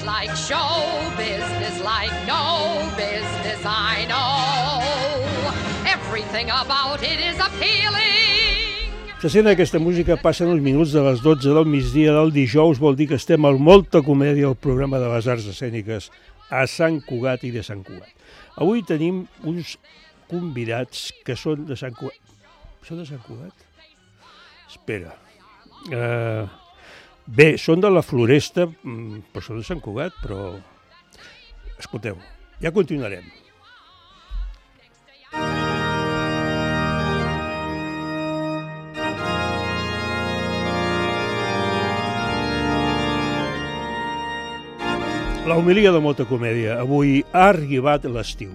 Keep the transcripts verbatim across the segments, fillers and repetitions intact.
It's like show business, like no business I know. Everything about it is appealing. Se sent aquesta música, passen uns minuts de les dotze del migdia del dijous, vol dir que estem al Molta Comèdia, el programa de les arts escèniques a Sant Cugat i de Sant Cugat. Avui tenim uns convidats que són de Sant Cugat. Són de Sant Cugat? Espera. Uh, bé, són de la Floresta, però són de Sant Cugat, però... Escolteu, ja continuarem. La homilia de Molta Comèdia. Avui ha arribat l'estiu.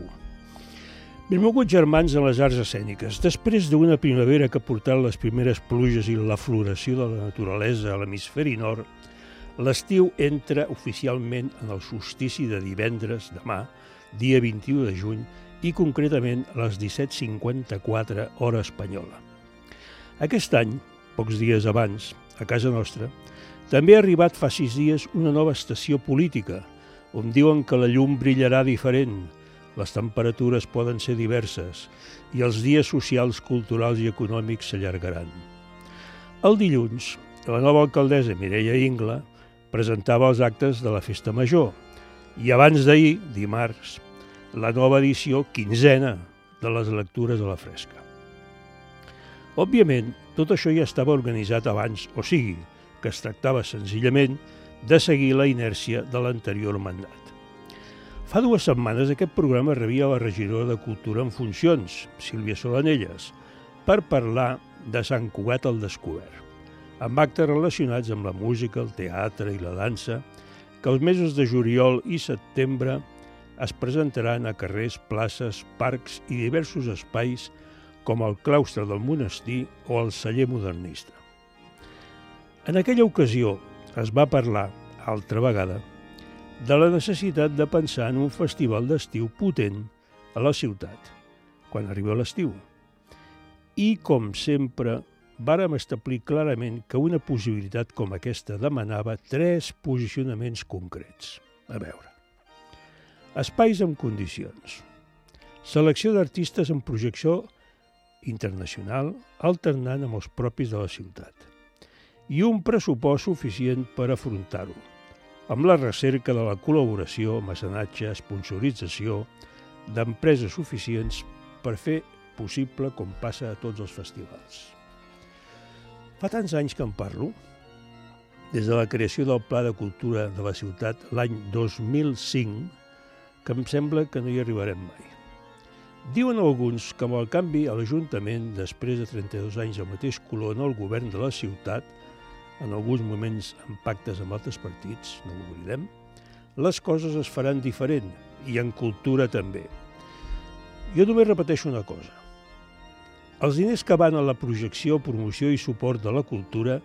Benvolguts germans en les arts escèniques, després d'una primavera que ha portat les primeres pluges i la floració de la naturalesa a l'hemisferi nord, l'estiu entra oficialment en el solstici de divendres, demà, dia vint-i-u de juny, i concretament a les disset cinquanta-quatre hora espanyola. Aquest any, pocs dies abans, a casa nostra, també ha arribat fa sis dies una nova estació política, on diuen que la llum brillarà diferent, les temperatures poden ser diverses i els dies socials, culturals i econòmics s'allargaran. El dilluns, la nova alcaldessa Mireia Ingla presentava els actes de la Festa Major i abans d'ahir, dimarts, la nova edició quinzena de les lectures a la fresca. Òbviament, tot això ja estava organitzat abans, o sigui, que es tractava senzillament de seguir la inèrcia de l'anterior mandat. Fa dues setmanes aquest programa rebia la regidora de Cultura en funcions, Sílvia Solanelles, per parlar de Sant Cugat al descobert, amb actes relacionats amb la música, el teatre i la dansa, que els mesos de juliol i setembre es presentaran a carrers, places, parcs i diversos espais com el claustre del monestir o el celler modernista. En aquella ocasió es va parlar, altra vegada, de la necessitat de pensar en un festival d'estiu potent a la ciutat, quan arriba l'estiu. I, com sempre, vàrem establir clarament que una possibilitat com aquesta demanava tres posicionaments concrets. A veure, espais amb condicions, selecció d'artistes en projecció internacional alternant amb els propis de la ciutat i un pressupost suficient per afrontar-ho, amb la recerca de la col·laboració, mecenatge, sponsorització d'empreses suficients per fer possible com passa a tots els festivals. Fa tants anys que en parlo, des de la creació del Pla de Cultura de la ciutat l'any dos mil cinc, que em sembla que no hi arribarem mai. Diuen alguns que amb el canvi a l'Ajuntament, després de trenta-dos anys al mateix color en el govern de la ciutat, en alguns moments amb pactes amb altres partits, no ho oblidem, les coses es faran diferent, i en cultura també. Jo només repeteixo una cosa. Els diners que van a la projecció, promoció i suport de la cultura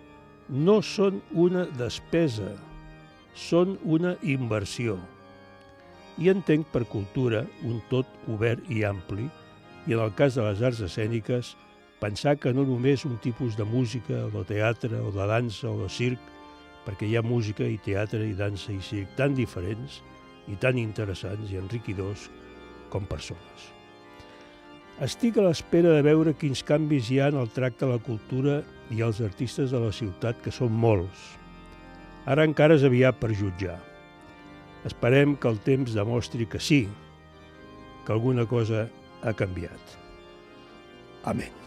no són una despesa, són una inversió. I entenc per cultura un tot obert i ampli, i en el cas de les arts escèniques, pensar que no només un tipus de música, o de teatre, o de dansa, o de circ, perquè hi ha música i teatre i dansa i circ tan diferents i tan interessants i enriquidors com persones. Estic a l'espera de veure quins canvis hi ha en el tracte a la cultura i als artistes de la ciutat, que són molts. Ara encara és aviat per jutjar. Esperem que el temps demostri que sí, que alguna cosa ha canviat. Amén.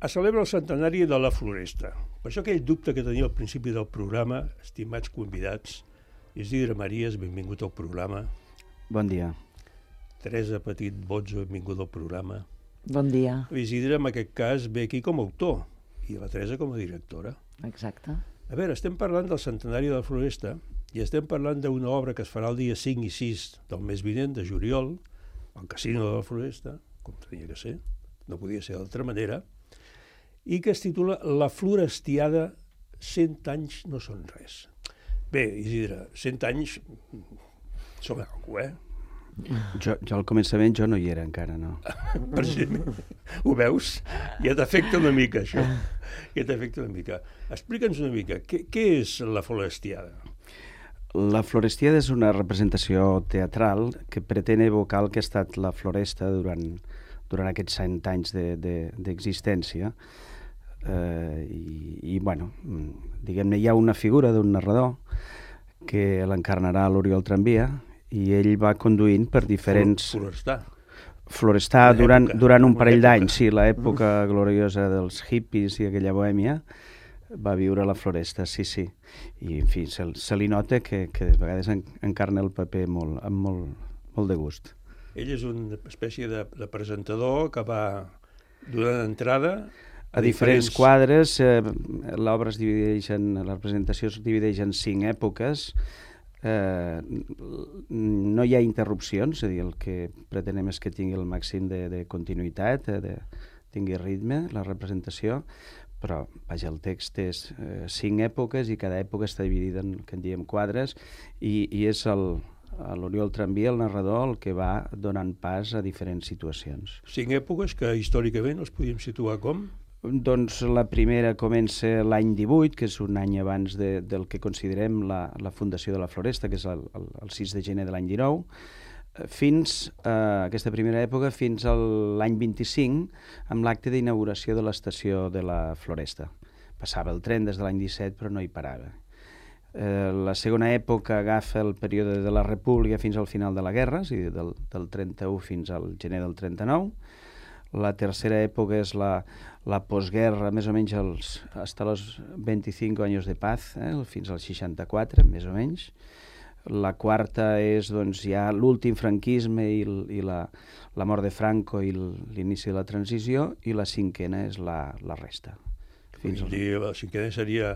Es celebra el centenari de la Floresta. Per això aquell dubte que tenia al principi del programa, estimats convidats, Isidre Maries, benvingut al programa. Bon dia. Teresa Petit Bozzo, benvingut al programa. Bon dia. Isidre, en aquest cas, ve aquí com a autor i la Teresa com a directora. Exacte. A veure, estem parlant del centenari de la Floresta i estem parlant d'una obra que es farà el dia cinc i sis del mes vinent, de juliol, al Casino de la Floresta, com tenia que ser, no podia ser d'altra manera, i que es titula La Florestiada, cent anys no són res. Bé, Isidre, cent anys són alguna cosa, eh? Jo, jo al començament jo no hi era encara, no. Precisament. Ho veus? Ja t'afecta una mica, això. Ja t'afecta una mica. Explica'ns una mica, què, què és la Florestiada? La Florestiada és una representació teatral que pretén evocar el que ha estat la Floresta durant, durant aquests cent anys d'existència. De, de eh, i, i, bueno, diguem-ne, hi ha una figura d'un narrador que l'encarnarà l'Oriol Tramvia, i ell va conduint per diferents... Florestar. Florestar durant, durant un parell d'anys, sí, l'època gloriosa dels hippies i aquella bohèmia, va viure a la Floresta, sí, sí. I, en fi, se, se li nota que, que de vegades en, encarna el paper molt, amb molt, molt de gust. Ell és una espècie de, de presentador que va donant entrada a, a diferents, diferents quadres. Eh, l'obra es divideix en... La representació es divideix en cinc èpoques. Eh, no hi ha interrupcions, és a dir, el que pretenem és que tingui el màxim de, de continuïtat, eh, de, tingui ritme, la representació, però, vaja, el text és eh, cinc èpoques i cada època està dividida en, que en diem quadres, i, i és el, l'Oriol Tramvia, el narrador, el que va donant pas a diferents situacions. Cinc èpoques que històricament els podíem situar com? Doncs la primera comença l'any divuit, que és un any abans de, del que considerem la, la fundació de la Floresta, que és el, el, el sis de gener de l'any dinou, fins a eh, aquesta primera època, fins a l'any vint-i-cinc, amb l'acte d'inauguració de l'estació de la Floresta. Passava el tren des de l'any disset, però no hi parava. Eh, la segona època agafa el període de la República fins al final de la guerra, és a dir, del, del trenta-u fins al gener del trenta-nou. La tercera època és la, la postguerra, més o menys els, fins als vint-i-cinc anys de paz, eh, fins al seixanta-quatre, més o menys. La quarta és doncs, ja l'últim franquisme i, i la, la mort de Franco i l'inici de la transició, i la cinquena és la, la resta. Fins al... La cinquena seria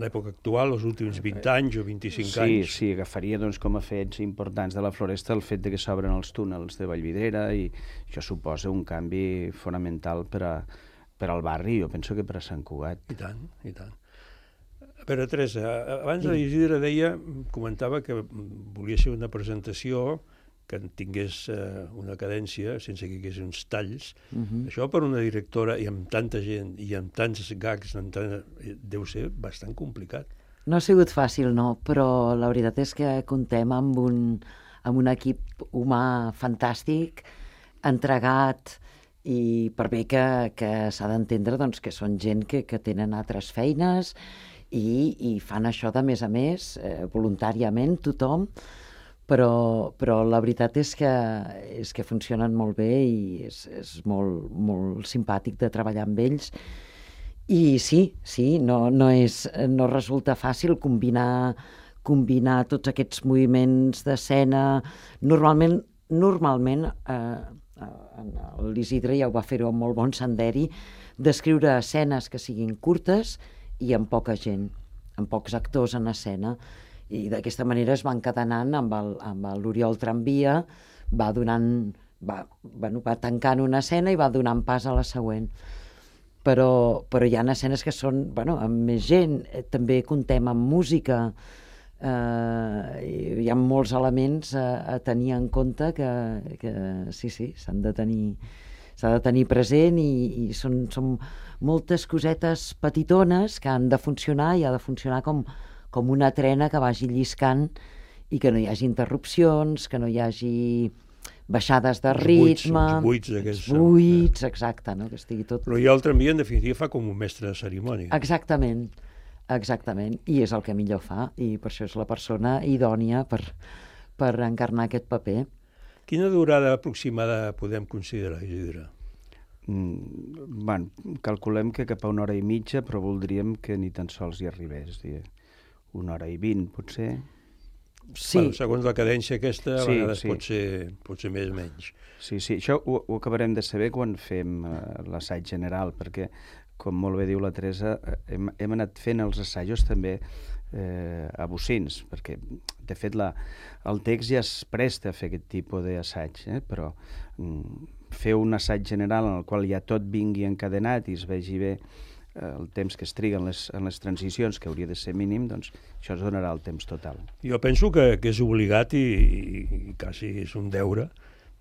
l'època actual, els últims vint anys o vint-i-cinc sí, anys. Sí, agafaria doncs, com a fets importants de la Floresta el fet de que s'obren els túnels de Vallvidrera, i això suposa un canvi fonamental per, a, per al barri, jo penso que per a Sant Cugat. I tant, i tant. A veure, Teresa, abans la Isidre deia, comentava que volia ser una presentació que tingués eh, una cadència sense que hi hagués uns talls. Uh-huh. Això per una directora i amb tanta gent i amb tants gags amb tant, deu ser bastant complicat. No ha sigut fàcil, no, però la veritat és que comptem amb un, amb un equip humà fantàstic, entregat, i per bé que, que s'ha d'entendre doncs, que són gent que, que tenen altres feines i, i fan això de més a més, eh, voluntàriament, tothom, però, però la veritat és que, és que funcionen molt bé i és, és molt, molt simpàtic de treballar amb ells. I sí, sí, no, no, és, no resulta fàcil combinar, combinar tots aquests moviments d'escena. Normalment, normalment eh, l'Isidre ja ho va fer-ho amb molt bon senderi, d'escriure escenes que siguin curtes i amb poca gent, amb pocs actors en escena. I d'aquesta manera es va encadenant amb l'Oriol Tramvia, va donant, va, bueno, va tancant una escena i va donant pas a la següent. Però, però hi ha escenes que són, bueno, amb més gent, eh, també comptem amb música, eh, hi ha molts elements a, a tenir en compte que, que sí, sí, s'han de tenir, s'ha de tenir present, i, i són, són moltes cosetes petitones que han de funcionar, i ha de funcionar com com una trena que vagi lliscant i que no hi hagi interrupcions, que no hi hagi baixades de ritme... Els buits, els buits. Els buits, exacte, no? Que estigui tot... Però Oriol Tramvia, en definitiva, fa com un mestre de cerimònia. Exactament, exactament, i és el que millor fa, i per això és la persona idònia per, per encarnar aquest paper. Quina durada aproximada podem considerar, Isidre? Mm, bueno, calculem que cap a una hora i mitja, però voldríem que ni tan sols hi arribés, dir, una hora i vint, potser. Sí. Bueno, segons la cadència aquesta, a sí, vegades sí. pot ser, pot ser més o menys. Sí, sí, això ho, ho acabarem de saber quan fem uh, l'assaig general, perquè, com molt bé diu la Teresa, hem, hem anat fent els assajos també eh, a bocins, perquè, de fet, la, el text ja es presta a fer aquest tipus d'assaig, eh? Però mm, fer un assaig general en el qual ja tot vingui encadenat i es vegi bé eh, el temps que es triga en les, en les transicions, que hauria de ser mínim, doncs això es donarà el temps total. Jo penso que, que és obligat i, i quasi és un deure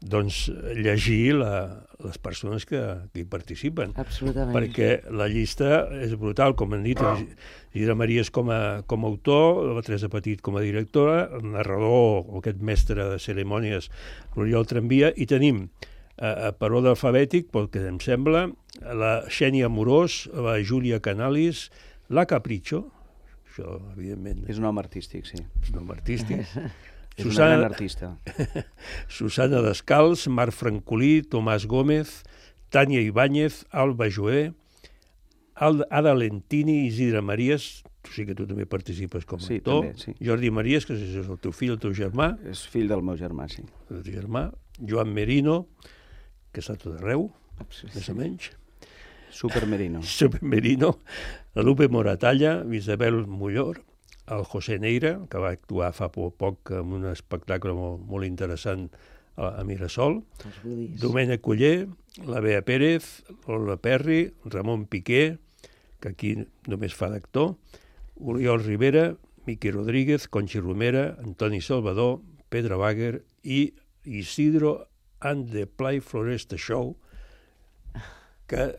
doncs llegir la, les persones que, que hi participen. Absolutament. Perquè la llista és brutal, com han dit, Isidre Maries com a, com a autor, la Teresa Petit com a directora, el narrador, aquest mestre de cerimònies, l'Oriol Tramvia, i tenim eh, per ordre alfabètic, pel que em sembla, la Xènia Amorós, la Júlia Canalis, la Capricho, això, evidentment... És un nom artístic, sí. És un nom artístic. És Susana, una gran artista. Susana Descals, Marc Francolí, Tomàs Gómez, Tània Ibáñez, Alba Joé, Ada Lentini, Isidre Maries, tu sí que tu també participes com a sí, actor, també, sí. Jordi Maries, que és el teu fill, el teu germà, És fill del meu germà, sí. el teu germà, Joan Merino, que està tot arreu, Sí. més o menys, Super Merino. Super Merino, la Lupe Moratalla, Isabel Mullor, el José Neira, que va actuar fa poc en un espectacle molt, molt interessant a, a Mirasol, Domènec Culler, la Bea Pérez, Lola Perri, Ramon Piqué, que aquí només fa d'actor, Oriol Rivera, Miqui Rodríguez, Conxi Romera, Antoni Salvador, Pedro Wagner i Isidro and the Play Floresta Show, que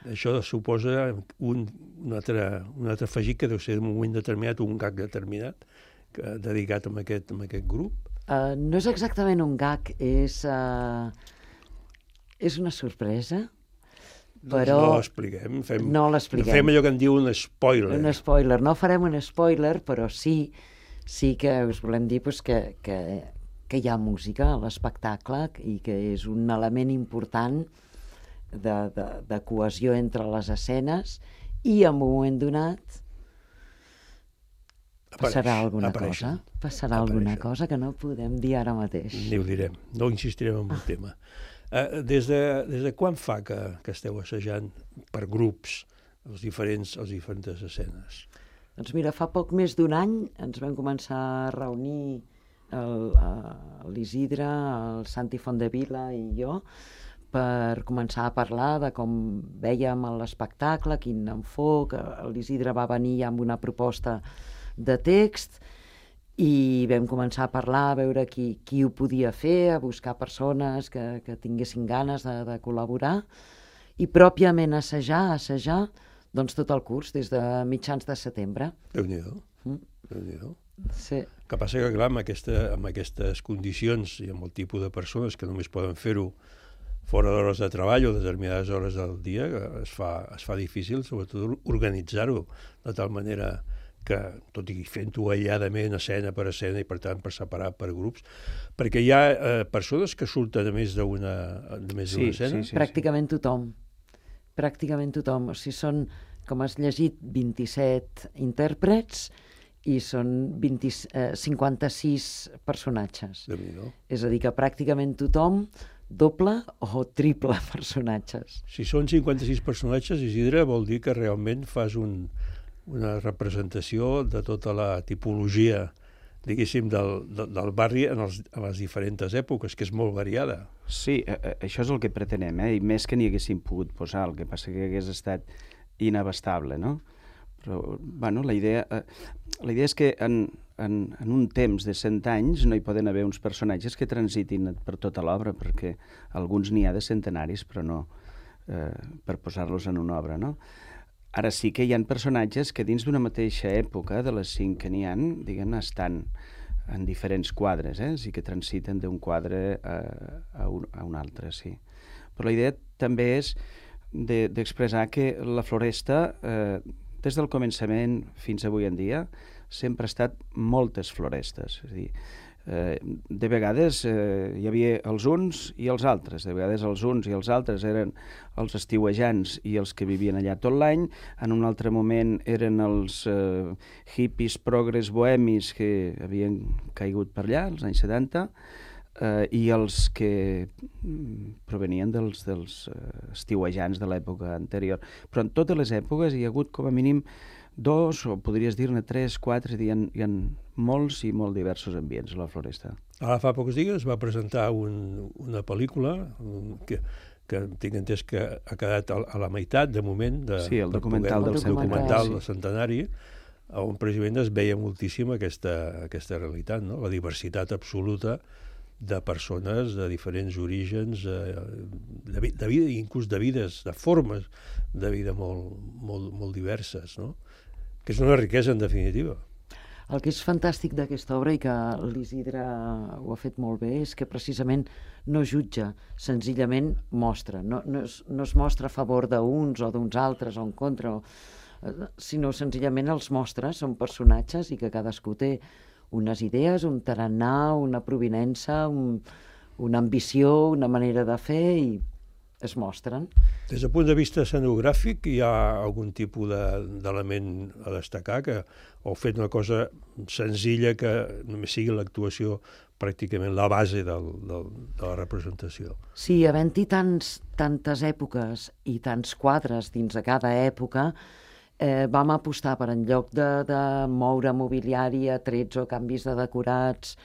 això suposa un, un, altre, un altre afegit que deu ser en un moment determinat, un gag determinat, que, dedicat a aquest, a aquest grup. Uh, no és exactament un gag, és, uh, és una sorpresa, però... No l'expliquem, fem, no l'expliquem. Fem allò que en diu un spoiler. Un spoiler, no farem un spoiler, però sí, sí que us volem dir pues, que, que, que hi ha música a l'espectacle i que és un element important de, de, de cohesió entre les escenes i en un moment donat passarà Apareix, alguna apareixen. cosa, passarà Apareixen. alguna cosa que no podem dir ara mateix. Ni ho direm, no insistirem en el tema. Uh, des, de, des de quan fa que, que esteu assajant per grups els diferents, les diferents escenes? Doncs mira, fa poc més d'un any ens vam començar a reunir l'Isidre, el Santi Fondevila i jo per començar a parlar de com vèiem l'espectacle, quin enfoc. L'Isidre va venir amb una proposta de text i vam començar a parlar, a veure qui, qui ho podia fer, a buscar persones que, que tinguessin ganes de, de col·laborar i pròpiament assajar, assajar doncs tot el curs, des de mitjans de setembre. Déu-n'hi-do. Mm. Déu-n'hi-do. Sí. Que passa que, clar, amb, aquesta, amb aquestes condicions i amb el tipus de persones que només poden fer-ho fora d'hores de treball o determinades hores del dia, es fa, es fa difícil, sobretot, organitzar-ho de tal manera que, tot i fent-ho aïlladament, escena per escena, i per tant per separar per grups, perquè hi ha eh, persones que surten a més d'una Sí, escena? sí, sí. Pràcticament tothom. Pràcticament tothom. O sigui, són, com has llegit, vint-i-set intèrprets i són vint, eh, cinquanta-sis personatges. Déu-n'hi-do. És a dir, que pràcticament tothom doble o triple personatges. Si són cinquanta-sis personatges, Isidre, vol dir que realment fas un, una representació de tota la tipologia, diguéssim, del, del, del barri en, els, en les diferents èpoques, que és molt variada. Sí, això és el que pretenem, eh? I més que n'hi haguéssim pogut posar, el que passa que hagués estat inabastable, no? Però, bueno, la idea, eh, la idea és que en, en, en un temps de cent anys no hi poden haver uns personatges que transitin per tota l'obra, perquè alguns n'hi ha de centenaris, però no eh, per posar-los en una obra, no? Ara sí que hi ha personatges que dins d'una mateixa època, de les cinc que n'hi ha, diguem, estan en diferents quadres, eh? Sí que transiten d'un quadre a, a, un, a un altre, sí. Però la idea també és d'expressar de, que la Floresta, eh, des del començament fins avui en dia, sempre ha estat moltes florestes. És a dir, eh, de vegades eh, hi havia els uns i els altres. De vegades els uns i els altres eren els estiuejants i els que vivien allà tot l'any. En un altre moment eren els eh, hippies progres bohemis que havien caigut per allà, als anys setanta, eh, i els que provenien dels, dels eh, estiuejants de l'època anterior. Però en totes les èpoques hi ha hagut com a mínim dos, o podries dir-ne tres, quatre, hi ha, hi ha molts i molt diversos ambients a la Floresta. Ara fa pocs dies va presentar un, una pel·lícula un, que, que tinc entès que ha quedat a, a la meitat, de moment, de, sí, el documental del del documental centenari, del centenari, on precisament es veia moltíssim aquesta, aquesta realitat, no? La diversitat absoluta de persones de diferents orígens, eh, de, de vida, inclús de vides, de formes de vida molt, molt, molt diverses, no? Que és una riquesa, en definitiva. El que és fantàstic d'aquesta obra, i que l'Isidre ho ha fet molt bé, és que precisament no jutja, senzillament mostra. No, no, es, no es mostra a favor d'uns o d'uns altres o en contra, o, sinó senzillament els mostra, són personatges i que cadascú té unes idees, un tarannà, una provinença, un, una ambició, una manera de fer, i es mostren. Des del punt de vista escenogràfic, hi ha algun tipus d'element de, a destacar, que heu fet una cosa senzilla que només sigui l'actuació pràcticament la base del, del, de la representació. Sí, havent-hi tants, tantes èpoques i tants quadres dins de cada època, Eh, vam apostar per, en lloc de, de moure mobiliari a trets o canvis de decorats,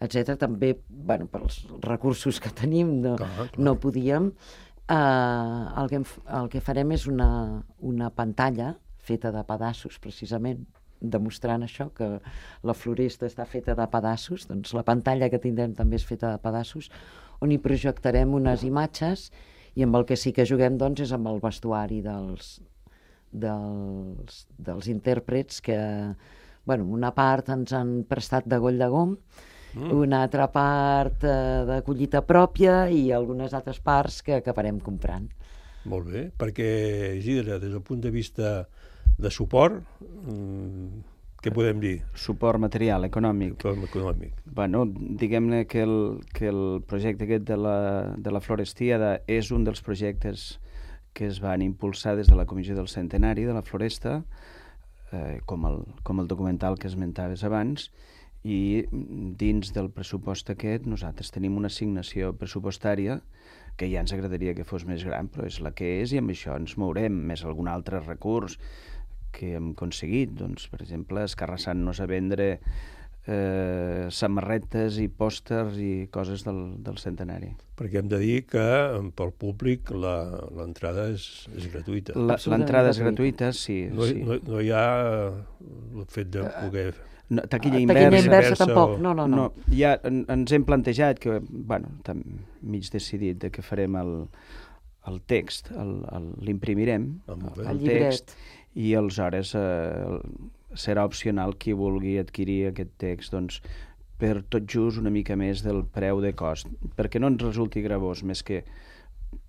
etcètera, també, bueno, pels recursos que tenim no, clar, clar. no podíem. Eh, el, que, el que farem és una, una pantalla feta de pedaços, precisament, demostrant això, que la floresta està feta de pedaços. Doncs la pantalla que tindrem també és feta de pedaços, on hi projectarem unes imatges, i amb el que sí que juguem, doncs, és amb el vestuari dels dels, dels intèrprets, que, bueno, una part ens han prestat de goll de gom, mm. una altra part eh, de collita pròpia, i algunes altres parts que acabarem comprant. Molt bé, perquè, Isidre, des del punt de vista de suport, mmm, què podem dir? Suport material, econòmic. Suport econòmic. Bueno, diguem-ne que el, que el projecte aquest de la, de la Florestiada és un dels projectes que es van impulsar des de la Comissió del Centenari de la Floresta, eh, com, el, com el documental que esmentaves abans, i dins del pressupost aquest nosaltres tenim una assignació pressupostària que ja ens agradaria que fos més gran, però és la que és, i amb això ens mourem, més algun altre recurs que hem aconseguit. Doncs, per exemple, escarrassant-nos a vendre eh, samarretes i pòsters i coses del, del centenari. Perquè hem de dir que pel públic l'entrada és, és gratuïta. L'entrada és gratuïta, sí. No, sí. no, no hi ha el fet de poder... No, taquilla uh, inversa. Taquilla inversa tampoc, no, no, no. no ja en, ens hem plantejat que, bueno, tam, mig decidit de que farem el, el text, l'imprimirem, el, el, el, el text, i aleshores eh, serà opcional qui vulgui adquirir aquest text, doncs, per tot just una mica més del preu de cost, perquè no ens resulti gravós, més que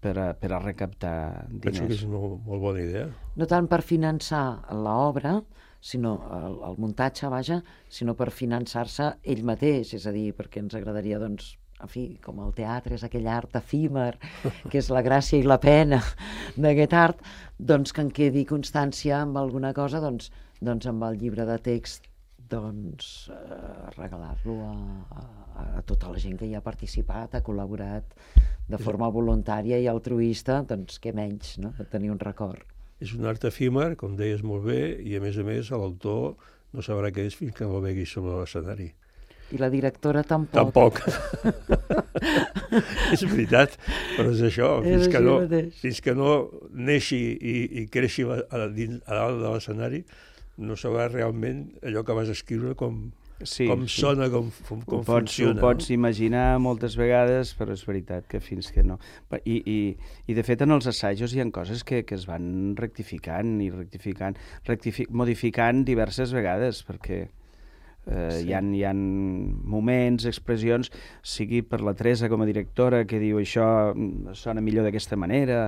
per a, per a recaptar diners. Penso que és una molt bona idea. No tant per finançar l'obra, sinó el, el muntatge, vaja, sinó per finançar-se ell mateix, és a dir, perquè ens agradaria, doncs, en fi, com el teatre és aquell art efímer, que és la gràcia i la pena d'aquest art, doncs que en quedi constància amb alguna cosa, doncs, doncs amb el llibre de text, doncs eh, regalar-lo a, a, a tota la gent que hi ha participat, ha col·laborat de forma voluntària i altruista, doncs què menys, no?, de tenir un record. És un art efímer, com deies molt bé, i a més a més l'autor no sabrà què és fins que no el vegi sobre l'escenari. I la directora tampoc. Tampoc. És veritat, però és això, fins que no, fins que no neixi i, i creixi a, a, dins, a dalt de l'escenari, no sabrà realment allò que vas escriure com, sí, com sí. sona, com, com, com pots, funciona. Ho pots no? imaginar moltes vegades, però és veritat que fins que no. I, i, i de fet en els assajos hi ha coses que, que es van rectificant i rectificant, rectific, modificant diverses vegades, perquè Eh, sí. hi, ha, hi ha moments, expressions, sigui per la Teresa com a directora, que diu això sona millor d'aquesta manera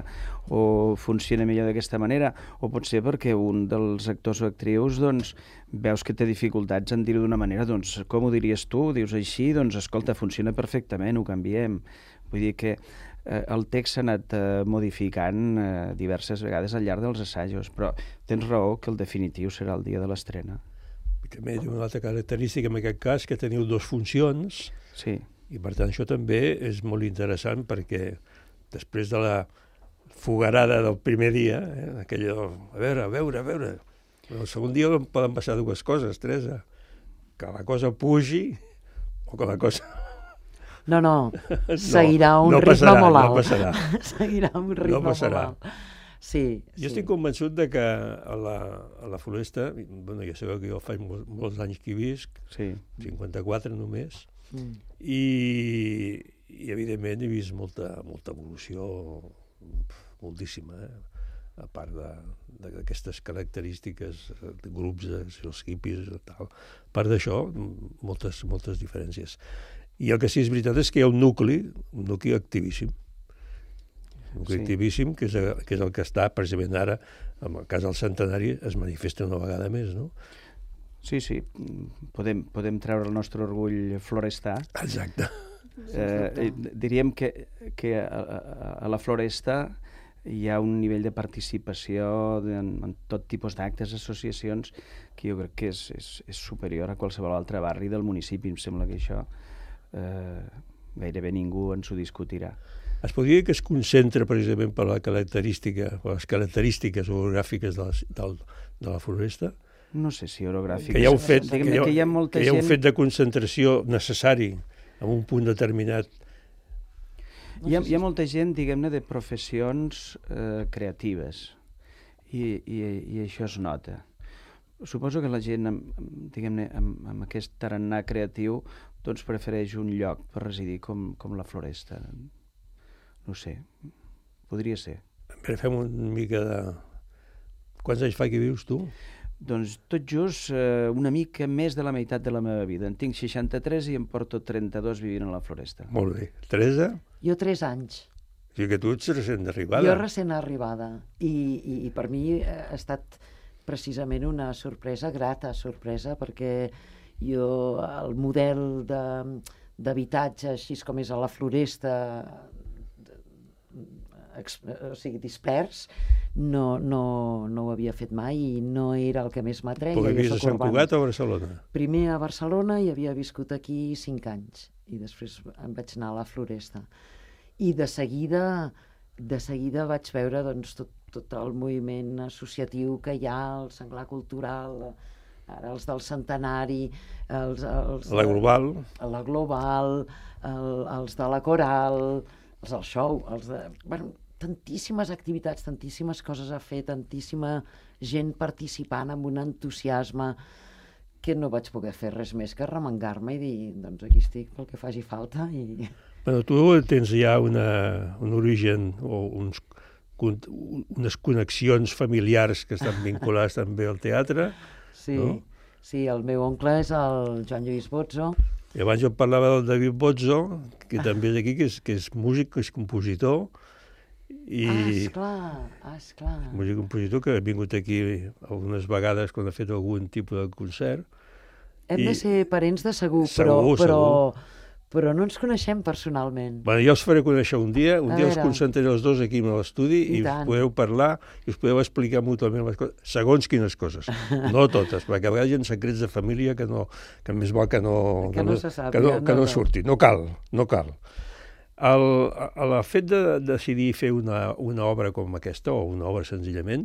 o funciona millor d'aquesta manera, o potser perquè un dels actors o actrius doncs, veus que té dificultats en dir-ho d'una manera, doncs com ho diries tu? Dius així, doncs escolta, funciona perfectament, ho canviem. Vull dir que eh, el text s'ha anat eh, modificant eh, diverses vegades al llarg dels assajos, però tens raó que el definitiu serà el dia de l'estrena. També té una altra característica en aquest cas, que teniu dues funcions, sí. I per tant això també és molt interessant, perquè després de la fogarada del primer dia, eh, aquello, a veure, a veure, a veure, El segon dia poden passar dues coses, Teresa. Que la cosa pugi o que la cosa... No, no, seguirà un no ritme passarà, molt alt. No passarà. Seguirà un ritme no passarà. molt alt. Sí, jo sí. estic convençut de que a la, a la Floresta, bueno, ja sabeu que jo faig molts, molts anys que hi visc, sí. cinquanta-quatre només, Mm. i, i evidentment he vist molta, molta evolució, moltíssima, eh? A part d'aquestes característiques de grups, els hippies i tal. A part d'això, moltes, moltes diferències. I el que sí és veritat és que hi ha un nucli, un nucli activíssim, un nucli sí. activíssim, que és, que és el que està precisament ara, en el cas del centenari, es manifesta una vegada més, no? Sí, sí, podem, podem treure el nostre orgull florestà. Exacte. Eh, diríem que, que a, a, a la Floresta hi ha un nivell de participació en, en tot tipus d'actes, associacions, que jo crec que és, és, és superior a qualsevol altre barri del municipi. Em sembla que això eh, gairebé ningú ens ho discutirà. Es podria dir que es concentra precisament per la característica, per les característiques orogràfiques de la, del, de la Floresta? No sé si orogràfiques. Que hi ha un fet, que que hi ha, que hi ha, molta que hi ha un gent... fet de concentració necessari en un punt determinat. Hi ha, hi ha molta gent, diguem-ne, de professions eh, creatives i, i, i això es nota. Suposo que la gent, diguem-ne, amb, amb aquest tarannà creatiu, doncs prefereix un lloc per residir com, com la Floresta. No sé, podria ser. A veure, fem una mica de... Quants anys fa que vius, tu? Doncs tot just eh, una mica més de la meitat de la meva vida. En tinc seixanta-tres i em porto trenta-dos vivint a la Floresta. Molt bé. Teresa? Jo tres anys. O sigui que tu ets recent arribada. Jo recent arribada. I, i, i per mi ha estat precisament una sorpresa, grata sorpresa, perquè jo el model d'habitatge, així com és a la Floresta, o sigui, dispers, no, no, no ho havia fet mai i no era el que més m'atreia. Però vivies a Sant Cugat o a Barcelona? Primer a Barcelona i havia viscut aquí cinc anys i després em vaig anar a la Floresta. I de seguida, de seguida vaig veure doncs, tot, tot el moviment associatiu que hi ha, el Senglar Cultural, ara els del Centenari, els, els, la Global, la Global, el, els de la Coral, els del show, els de... Bueno, tantíssimes activitats, tantíssimes coses a fer, tantíssima gent participant amb un entusiasme que no vaig poder fer res més que remengar-me i dir, doncs aquí estic pel que faci falta. I... Bueno, tu tens ja una, un origen o uns, unes connexions familiars que estan vinculades també al teatre. Sí, no? Sí, el meu oncle és el Joan Lluís Bozzo. I abans jo parlava del David Bozzo, que també és aquí, que és, que és músic, que és compositor. I ah, esclar, ah, esclar. Músic compositor que ha vingut aquí algunes vegades quan ha fet algun tipus de concert. Hem I... de ser parents de segur, segur però, però, segur. però no ens coneixem personalment. Bueno, jo els faré conèixer un dia, un a dia veure. els concentraré els dos aquí a l'estudi i, i us podeu parlar i us podeu explicar mútuament les coses, segons quines coses, no totes, perquè a vegades hi ha secrets de família que, no, que més val que no, que no, se sàpiga, que no, que no, no, no. surti, no cal, no cal. El, el fet de decidir fer una, una obra com aquesta, o una obra senzillament,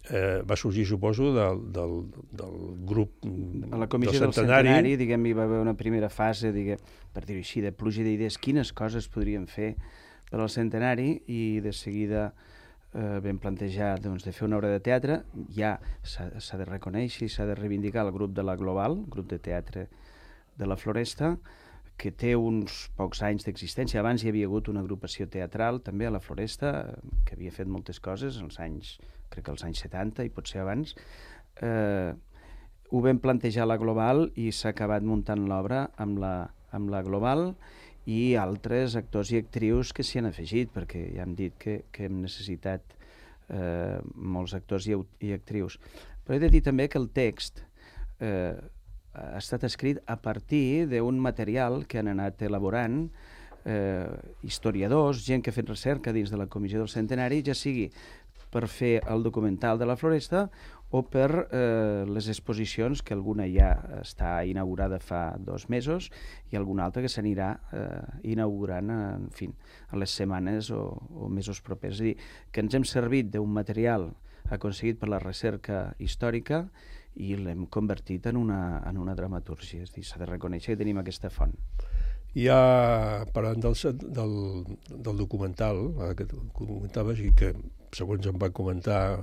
eh, va sorgir, suposo, del, del, del grup a la comissió del centenari, del centenari diguem, hi va haver una primera fase, diguem, per dir-ho així, de pluja d'idees, quines coses podríem fer per al centenari, i de seguida eh, vam plantejar doncs, de fer una obra de teatre. Ja s'ha de reconèixer i s'ha de reivindicar el grup de la Global, grup de teatre de la Floresta, que té uns pocs anys d'existència. Abans hi havia hagut una agrupació teatral també a la Floresta, que havia fet moltes coses als anys, crec que als anys setanta i potser abans. Eh, ho vam plantejar a la Global i s'ha acabat muntant l'obra amb la, amb la Global i altres actors i actrius que s'hi han afegit, perquè ja hem dit que, que hem necessitat eh, molts actors i, i actrius. Però he de dir també que el text eh, ha estat escrit a partir d'un material que han anat elaborant eh, historiadors, gent que ha fet recerca dins de la Comissió del Centenari, ja sigui per fer el documental de la Floresta o per eh, les exposicions, que alguna ja està inaugurada fa dos mesos i alguna altra que s'anirà eh, inaugurant en, fi, en les setmanes o, o mesos propers. És a dir, que ens hem servit d'un material aconseguit per la recerca històrica i l'hem convertit en una, en una dramatúrgia. És a dir, s'ha de reconèixer que tenim aquesta font. Ja parlant del, del, del documental, eh, que comentaves i que, segons em va comentar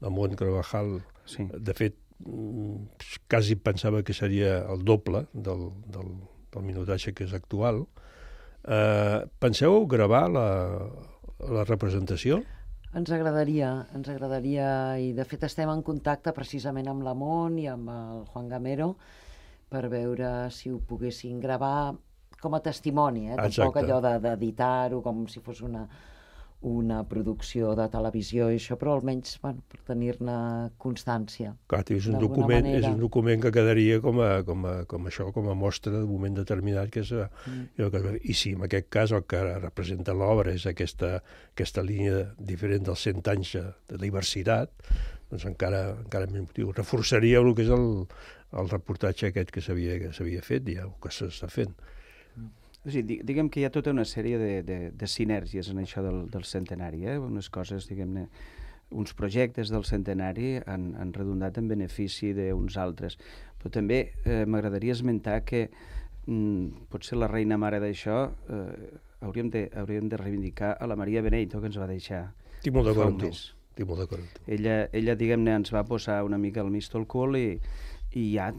la Mont Carvajal, sí. De fet, quasi pensava que seria el doble del, del, del minutatge que és actual. Eh, penseu gravar la, la representació? Ens agradaria, ens agradaria, i de fet estem en contacte precisament amb la Mont i amb el Juan Gamero per veure si ho poguessin gravar com a testimoni, eh? Tampoc allò d'editar-ho com si fos una, una producció de televisió i això, però almenys bueno, per tenir-ne constància. Clar, és un, document, és un document que quedaria com a, com a, com això, com a mostra d'un moment determinat. Que és, mm. I si en aquest cas el que representa l'obra és aquesta, aquesta línia diferent dels cent anys de diversitat, doncs encara, encara més motiu. Reforçaria el que és el, el reportatge aquest que s'havia fet i el que s'està fent. O sigui, diguem que hi ha tota una sèrie de, de, de sinergies en això del, del centenari, eh? Unes coses, diguem-ne, uns projectes del centenari han, han redundat en benefici d'uns altres. Però també eh, m'agradaria esmentar que mm, potser la reina mare d'això eh, hauríem, de, hauríem de reivindicar a la Maria Benedito, que ens va deixar Estic molt d'acord amb tu. Estic molt d'acord amb tu. Ella, ella diguem-ne, ens va posar una mica el misto al cul i, i hi ha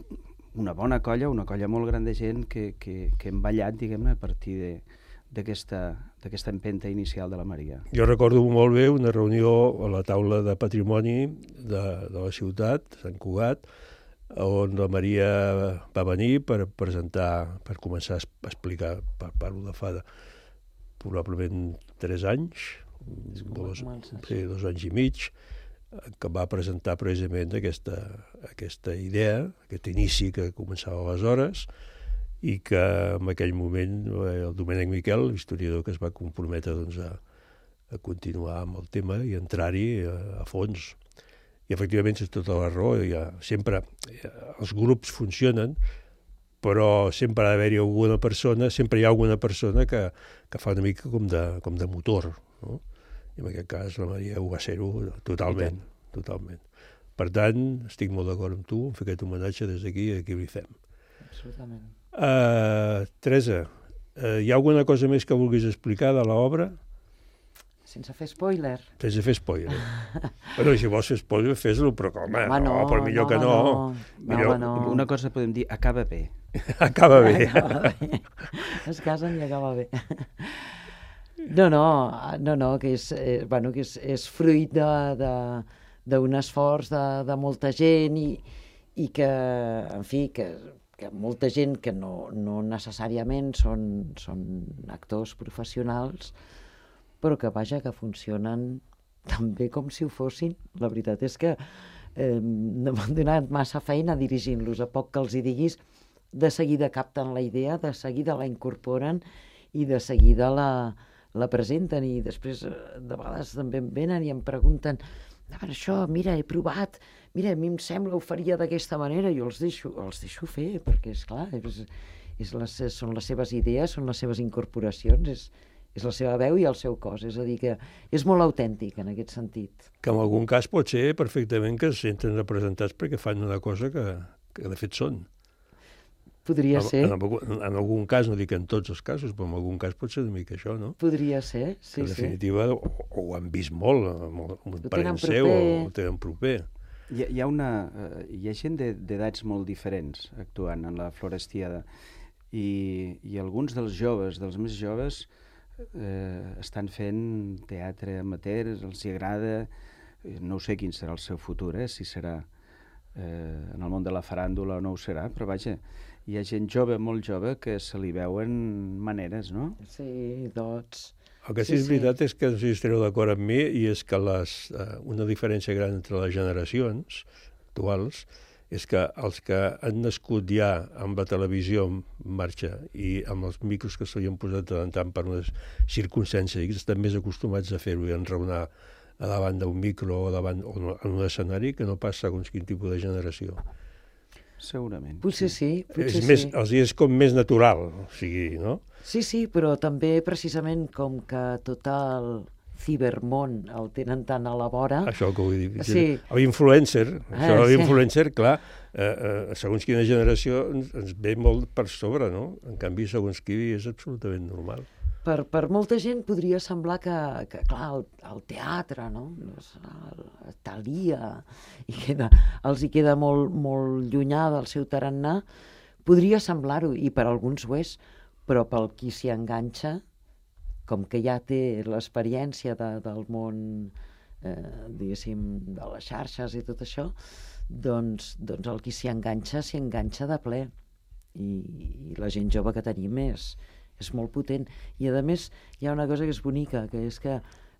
una bona colla, una colla molt gran de gent que, que, que hem ballat, diguem-ne, a partir d'aquesta empenta inicial de la Maria. Jo recordo molt bé una reunió a la taula de patrimoni de, de la ciutat, Sant Cugat, on la Maria va venir per presentar, per començar a explicar, parlo de fa de, probablement tres anys, dos, sí, dos anys i mig, que va presentar precisament aquesta, aquesta idea, aquest inici que començava aleshores, i que en aquell moment el Domènec Miquel, l'historiador que es va comprometre doncs, a, a continuar amb el tema i entrar-hi a, a fons. I efectivament és tota la raó, ha, sempre els grups funcionen, però sempre ha d'haver-hi alguna persona, sempre hi ha alguna persona que, que fa una mica com de, com de motor, no? I en aquest cas la Maria ho va ser-ho totalment, totalment. Per tant, estic molt d'acord amb tu, en fer aquest homenatge des d'aquí a qui li fem. Absolutament. Uh, Teresa, uh, hi ha alguna cosa més que vulguis explicar de l'obra? Sense fer spoiler. Sense fer spoiler. Bueno, si vols fer spoiler, fes-lo, però com, no, no, però millor no, que no. no. Millor... no, no. Una cosa podem dir, acaba bé. Acaba bé. Acaba bé. Es casen i acaba bé. No, no, no, no, que és, eh, bueno, que és, és fruit d'un esforç de, de molta gent i, i que, en fi, que, que molta gent que no, no necessàriament són, són actors professionals, però que, vaja, que funcionen tan bé com si ho fossin. La veritat és que eh, no m'han donat massa feina dirigint-los. A poc que els hi diguis, de seguida capten la idea, de seguida la incorporen i de seguida la la presenten i després de vegades també em venen i em pregunten això, mira, he provat, mira, a mi em sembla ho faria d'aquesta manera, jo els deixo, els deixo fer, perquè és clar, és, és les, són les seves idees, són les seves incorporacions, és, és la seva veu i el seu cos, és a dir, que és molt autèntic en aquest sentit. Que en algun cas pot ser perfectament que es senten representats perquè fan una cosa que, que de fet són. Podria en, ser. En, en, en algun cas, no dic en tots els casos, però en algun cas pot ser una mica això, no? Podria ser, sí, sí. En definitiva, sí. o, o ho han vist molt, amb un parent seu, o ho tenen proper. Hi ha, hi ha, una, uh, hi ha gent d'edats molt diferents actuant en la Florestiada i, i alguns dels joves, dels més joves, eh, estan fent teatre amateur, els hi agrada, no sé quin serà el seu futur, eh, si serà eh, en el món de la faràndula o no ho serà, però vaja, hi ha gent jove, molt jove, que se li veuen maneres, no? Sí, dots. El que sí, sí és veritat sí. és que no sé si estareu d'acord amb mi, i és que les, eh, una diferència gran entre les generacions actuals és que els que han nascut ja amb la televisió en marxa i amb els micros que se li han posat de tant en tant per unes circumstàncies, estan més acostumats a fer-ho i a enraonar a davant d'un micro o davant o en un escenari que no pas segons quin tipus de generació. Segurament. Potser sí, potser és més, sí. Els és com més natural, o sigui, no? Sí, sí, però també precisament com que tot el, cibermón el tenen tan a la vora. Això que vull dir. Sí. L'influencer, això Ah, de sí. l'influencer, clar, eh, eh, segons quina generació ens, ens ve molt per sobre, no? En canvi, segons qui és absolutament normal. Per, per molta gent podria semblar que, que clar, el, el teatre, no? El Thalia, i queda, els hi queda molt, molt llunyà del seu tarannà. Podria semblar-ho, i per alguns ho és, però pel qui s'hi enganxa, com que ja té l'experiència de, del món, eh, diguéssim, de les xarxes i tot això, doncs, doncs el qui s'hi enganxa, s'hi enganxa de ple. I, I la gent jove que tenim és... és molt potent, i a més hi ha una cosa que és bonica, que és que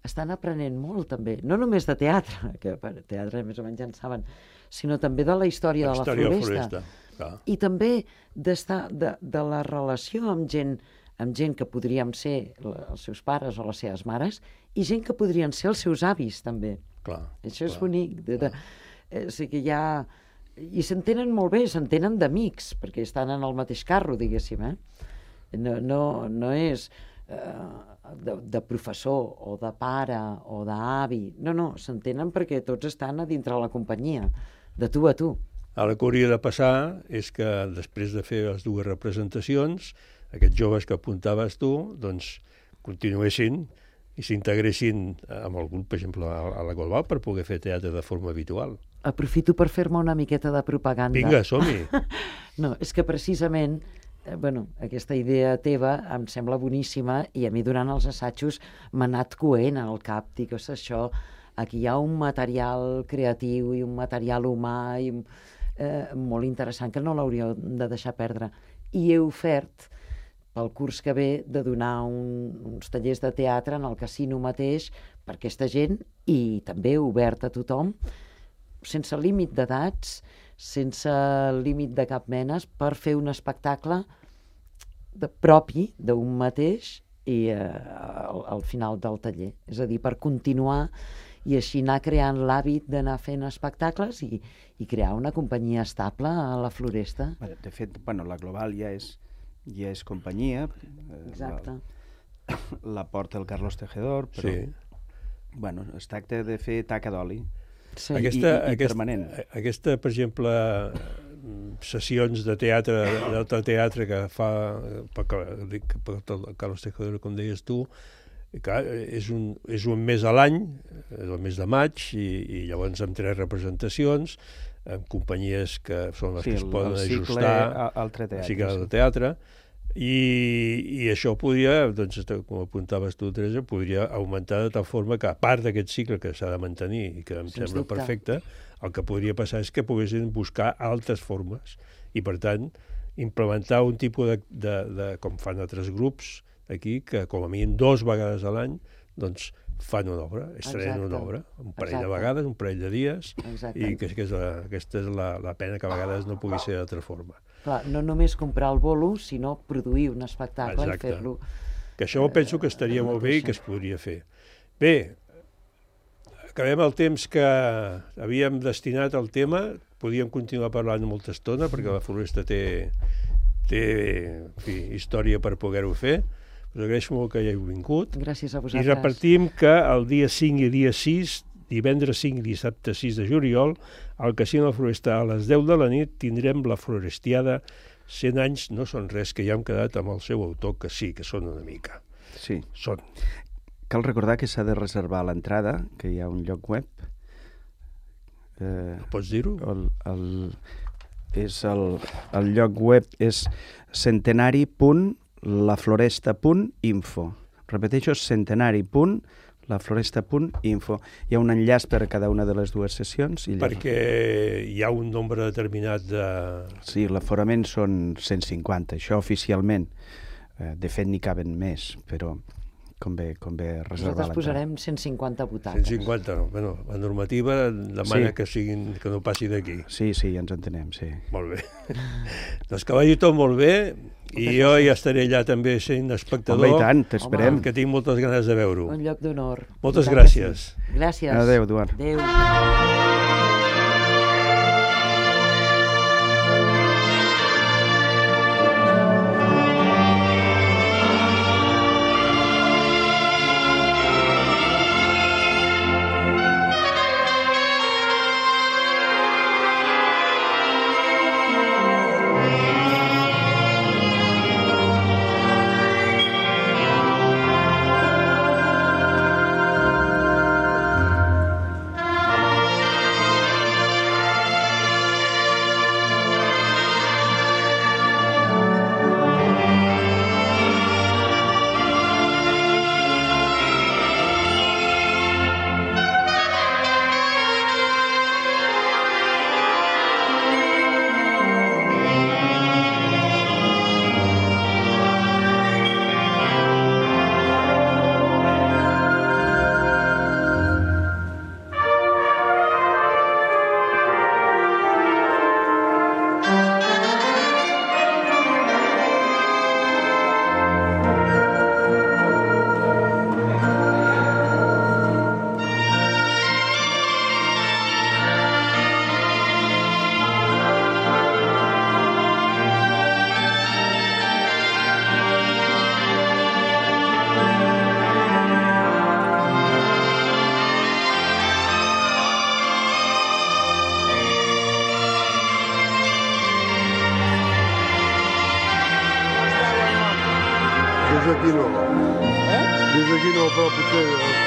estan aprenent molt també, no només de teatre, que per teatre més o menys ja en saben, sinó també de la història, La de la història floresta, floresta, clar. i també d'estar de, de la relació amb gent, amb gent que podríem ser la, els seus pares o les seves mares, i gent que podrien ser els seus avis també. Clar, Això és clar, bonic. De, de, eh, o sigui que hi ha... I s'entenen molt bé, s'entenen d'amics, perquè estan en el mateix carro, diguéssim, eh? No, no, no és eh, de, de professor o de pare o d'avi, no, no, s'entenen perquè tots estan a dintre la companyia, de tu a tu. Ara el que hauria de passar és que després de fer les dues representacions, aquests joves que apuntaves tu, doncs continuessin i s'integressin amb el grup, per exemple, a la Global, per poder fer teatre de forma habitual. Aprofito per fer-me una miqueta de propaganda. Vinga, som-hi! No, és que precisament eh, bueno, aquesta idea teva em sembla boníssima, i a mi durant els assajos m'ha anat coent al cap. Dic, ostres, això, aquí hi ha un material creatiu i un material humà i, eh, molt interessant que no l'hauríeu de deixar perdre. I he ofert pel curs que ve de donar un, uns tallers de teatre en el casino mateix per aquesta gent, i també obert a tothom, sense límit d'edats, sense límit de cap menes, per fer un espectacle de, propi d'un mateix i eh, al, al final del taller. És a dir, per continuar i així anar creant l'hàbit d'anar fent espectacles i, i crear una companyia estable a la Floresta. De fet, bueno, la Global ja és, ja és companyia. Exacte. La, la porta el Carlos Tejedor, però Sí. bueno, es tracta de fer taca d'oli. Sí. Aquesta, i- i aquesta, permanent. aquesta, per exemple, sessions de teatre, d'altre teatre que fa per, dic, per el Carlos Tejedor, com deies tu, clar, és, un, és un mes a l'any, el mes de maig, i, i llavors amb tres representacions, amb companyies que són les Sí, que es el- poden el cicle ajustar a- altre teatre, al cicle sí. de teatre, i, i això podria, doncs, com apuntaves tu, Teresa, podria augmentar de tal forma que, a part d'aquest cicle que s'ha de mantenir i que em Sens sembla dubte. perfecte, el que podria passar és que poguessin buscar altres formes i, per tant, implementar un tipus de, de, de com fan altres grups aquí, que com a mínim dos vegades a l'any doncs fan una obra, estrenen Exacte. una obra, un parell Exacte. de vegades, un parell de dies, Exacte. i que, que és la, aquesta és la, la pena que a vegades no pugui ser d'altra forma. Clar, no només comprar el bolo, sinó produir un espectacle Exacte. i fer-lo. Que això penso que estaria molt bé i que es podria fer. Bé, acabem el temps que havíem destinat al tema, podíem continuar parlant molta estona, perquè la Floresta té, té en fi, història per poder-ho fer. Us agraeixo molt que hi heu vingut. Gràcies a I vosaltres. repartim que el dia cinc i dia sis, divendres cinc i dissabte sis de juliol, al Casino de la Floresta a les deu de la nit tindrem la Florestiada. cent anys no són res, que ja hem quedat amb el seu autor, que sí, que són una mica. Sí. Són. Cal recordar que s'ha de reservar l'entrada, que hi ha un lloc web. Eh, Pots dir-ho? el, el, és el, el lloc web és centenari punt lafloresta punt info. Repeteixo, centenari punt lafloresta punt info. Hi ha un enllaç per a cada una de les dues sessions. I llavors... Perquè hi ha un nombre determinat de... Sí, l'aforament són cent cinquanta, això oficialment. Eh, de fet, n'hi caben més, però convé, convé reservar Nosaltres posarem cent cinquanta butaques. cent cinquanta, no. Bueno, la normativa demana Sí. que, siguin, que no passi d'aquí. Sí, sí, ja ens entenem, sí. Molt bé. Doncs que vagi tot molt bé, i jo ja estaré allà també sent espectador. Home, i tant, t'esperem. Que tinc moltes ganes de veure-ho. Un lloc d'honor. Moltes I tant que gràcies. sí. Gràcies. Adéu, Eduard. Adéu. d'aquí no. Eh? Des d'aquí no, però potser...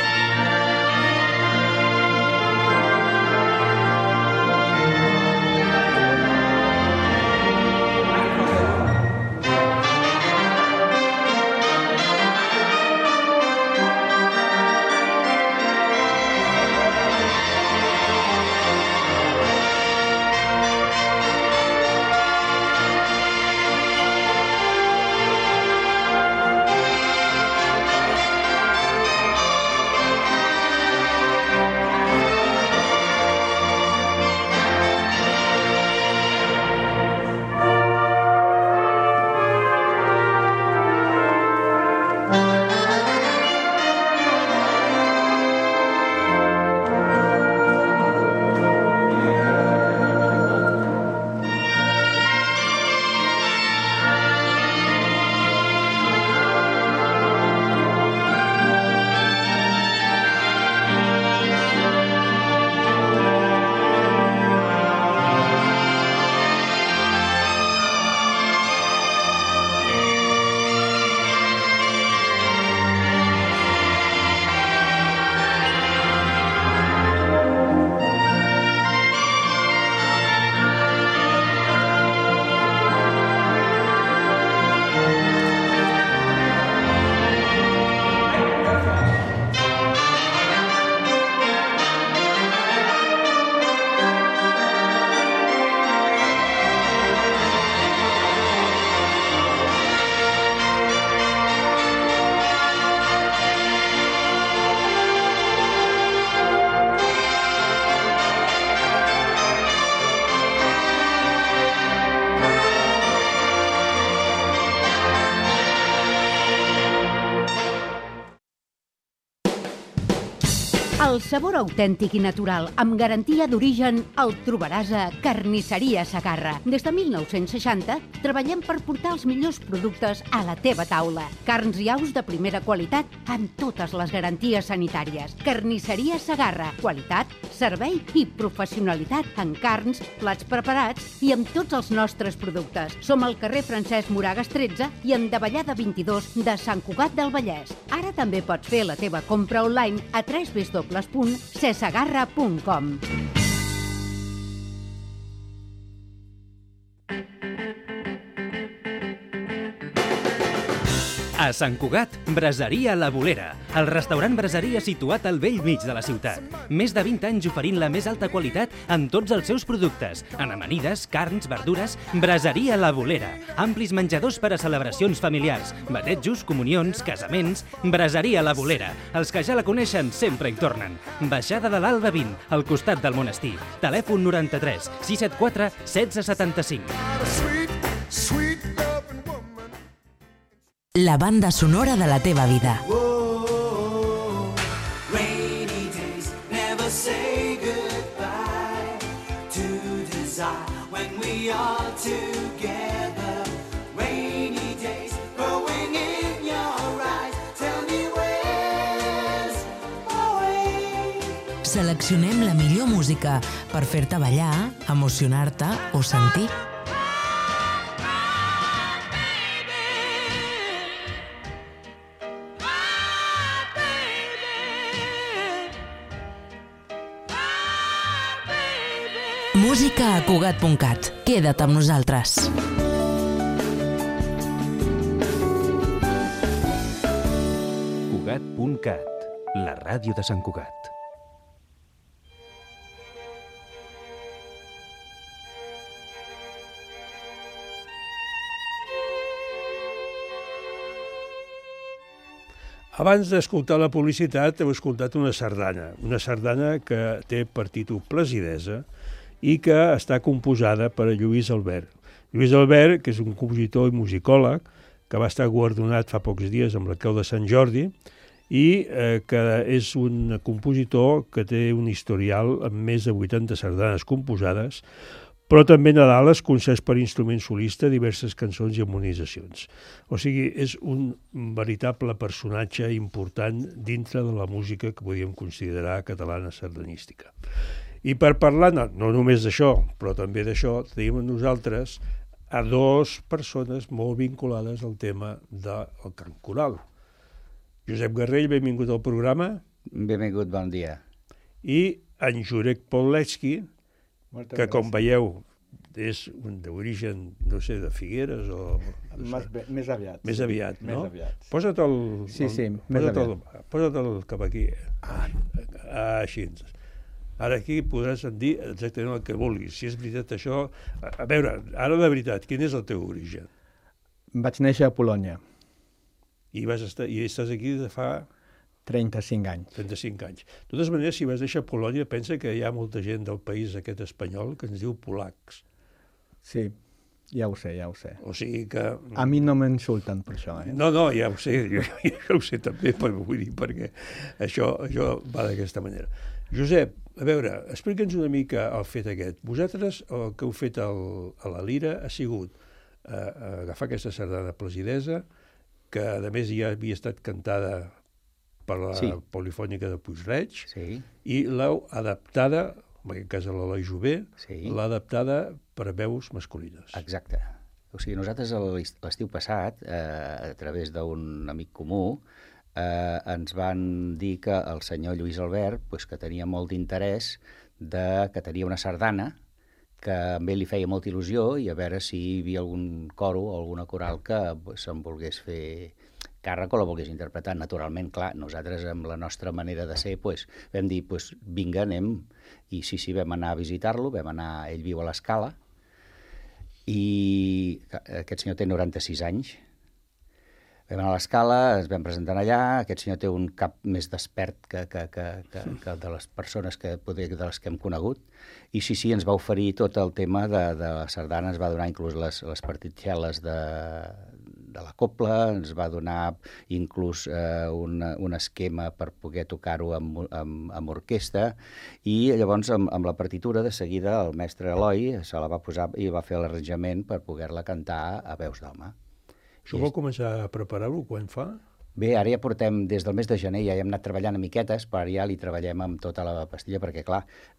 El sabor autèntic i natural, amb garantia d'origen, el trobaràs a Carnisseria Segarra. Des de mil nou-cents seixanta treballem per portar els millors productes a la teva taula. Carns i aus de primera qualitat amb totes les garanties sanitàries. Carnisseria Segarra. Qualitat, servei i professionalitat en carns, plats preparats i amb tots els nostres productes. Som al carrer Francesc Moragas tretze i en Davallada vint-i-dos de Sant Cugat del Vallès. Ara també pots fer la teva compra online a w w w punt cesegarra punt com. A Sant Cugat, Braseria La Bolera, el restaurant braseria situat al bell mig de la ciutat. Més de vint anys oferint la més alta qualitat en tots els seus productes. En amanides, carns, verdures, Braseria La Bolera. Amplis menjadors per a celebracions familiars, batejos, comunions, casaments. Braseria La Bolera. Els que ja la coneixen sempre hi tornen. Baixada de l'Alba vint, al costat del monestir. Telèfon noranta-tres sis set quatre setze setanta-cinc. La banda sonora de la teva vida. Seleccionem la millor música per fer-te ballar, emocionar-te o sentir. Música a Cugat punt cat. Queda't amb nosaltres. Cugat punt cat, la ràdio de Sant Cugat. Abans d'escoltar la publicitat heu escoltat una sardana, una sardana que té per títol Placidesa i que està composada per Lluís Albert. Lluís Albert, que és un compositor i musicòleg, que va estar guardonat fa pocs dies amb la Creu de Sant Jordi i eh, que és un compositor que té un historial amb més de vuitanta sardanes composades, però també Nadales, concerts per instrument solista, diverses cançons i harmonitzacions. O sigui, és un veritable personatge important dintre de la música que podríem considerar catalana sardanística. I per parlar, no, no només d'això, però també d'això, tenim a nosaltres a dues persones molt vinculades al tema del cant coral. Josep Garrell, benvingut al programa. Benvingut, bon dia. I en Jurek Pauletsky, que com veieu és d'origen, no sé, de Figueres o... No sé. Més aviat. Més aviat, no? Més aviat. Posa't el... Sí, sí, el, més posa't aviat. El, posa't el cap aquí. Ah, així. Ara aquí podràs dir exactament el que vulguis. Si és veritat això... A, a veure, ara de veritat, quin és el teu origen? Vaig néixer a Polònia. I, vas estar, i estàs aquí de fa... trenta-cinc anys. trenta-cinc anys. De totes maneres, si vas néixer a Polònia, pensa que hi ha molta gent del país aquest espanyol que ens diu polacs. Sí, ja ho sé, ja ho sé. O sigui que... A mi no m'insulten per això, eh? No, no, ja ho sé, jo, jo ho sé també, però vull dir, perquè això, això va d'aquesta manera. Josep, a veure, explica'ns una mica el fet aquest. Vosaltres el que heu fet el, a la Lira ha sigut eh, agafar aquesta sardana placidesa, que a més ja havia estat cantada per la sí. Polifònica de Puig-reig, sí. i l'heu adaptada, en aquest cas a l'Eloi Jové, sí. l'ha adaptada per veus masculines. Exacte. O sigui, nosaltres l'estiu passat, eh, a través d'un amic comú, eh, ens van dir que el senyor Lluís Albert, pues, que tenia molt d'interès, de, que tenia una sardana, que a ell li feia molta il·lusió, i a veure si hi havia algun coro o alguna coral que pues, se'n volgués fer càrrec o la volgués interpretar. Naturalment, clar, nosaltres amb la nostra manera de ser pues, vam dir, pues, vinga, anem, i sí, sí, vam anar a visitar-lo, vam anar, ell viu a l'Escala, i aquest senyor té noranta-sis anys. Vam anar a l'Escala, ens vam presentar allà, aquest senyor té un cap més despert que, que, que, que, que de les persones que, poder, de les que hem conegut, i sí, sí, ens va oferir tot el tema de, de la sardana, ens va donar inclús les, les partitxeles de, de la copla, ens va donar inclús eh, un, un esquema per poder tocar-ho amb, amb, amb orquestra, i llavors amb, amb la partitura de seguida el mestre Eloi se la va posar i va fer l'arranjament per poder-la cantar a veus d'home. Això vol començar a preparar-ho quan fa? Bé, ara ja portem, des del mes de gener, ja hem anat treballant a miquetes, però ara ja li treballem amb tota la pastilla, perquè, clar,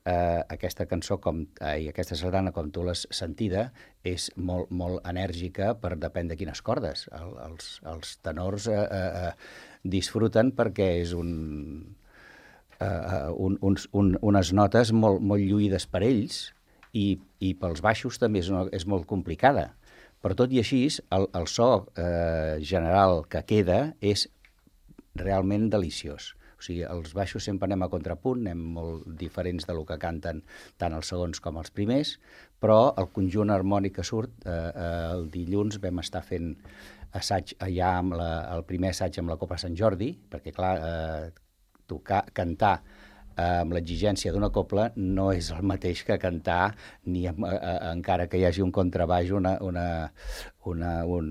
eh, aquesta cançó com, eh, i aquesta sardana, com tu l'has sentida, és molt, molt enèrgica per depèn de quines cordes. El, els, els tenors eh, eh, disfruten perquè és un, eh, un, uns, un, unes notes molt, molt lluïdes per ells, i, i pels baixos també és, una, és molt complicada. Però tot i així, el, el so eh, general que queda és realment deliciós. O sigui, els baixos sempre anem a contrapunt, anem molt diferents del que canten tant els segons com els primers, però el conjunt harmònic que surt, eh, eh, el dilluns vam estar fent assaig allà, amb la, el primer assaig amb la Copa Sant Jordi, perquè, clar, eh, tocar, cantar amb l'exigència d'una copla no és el mateix que cantar, ni amb, a, a, encara que hi hagi un contrabaix, una, una, una, un,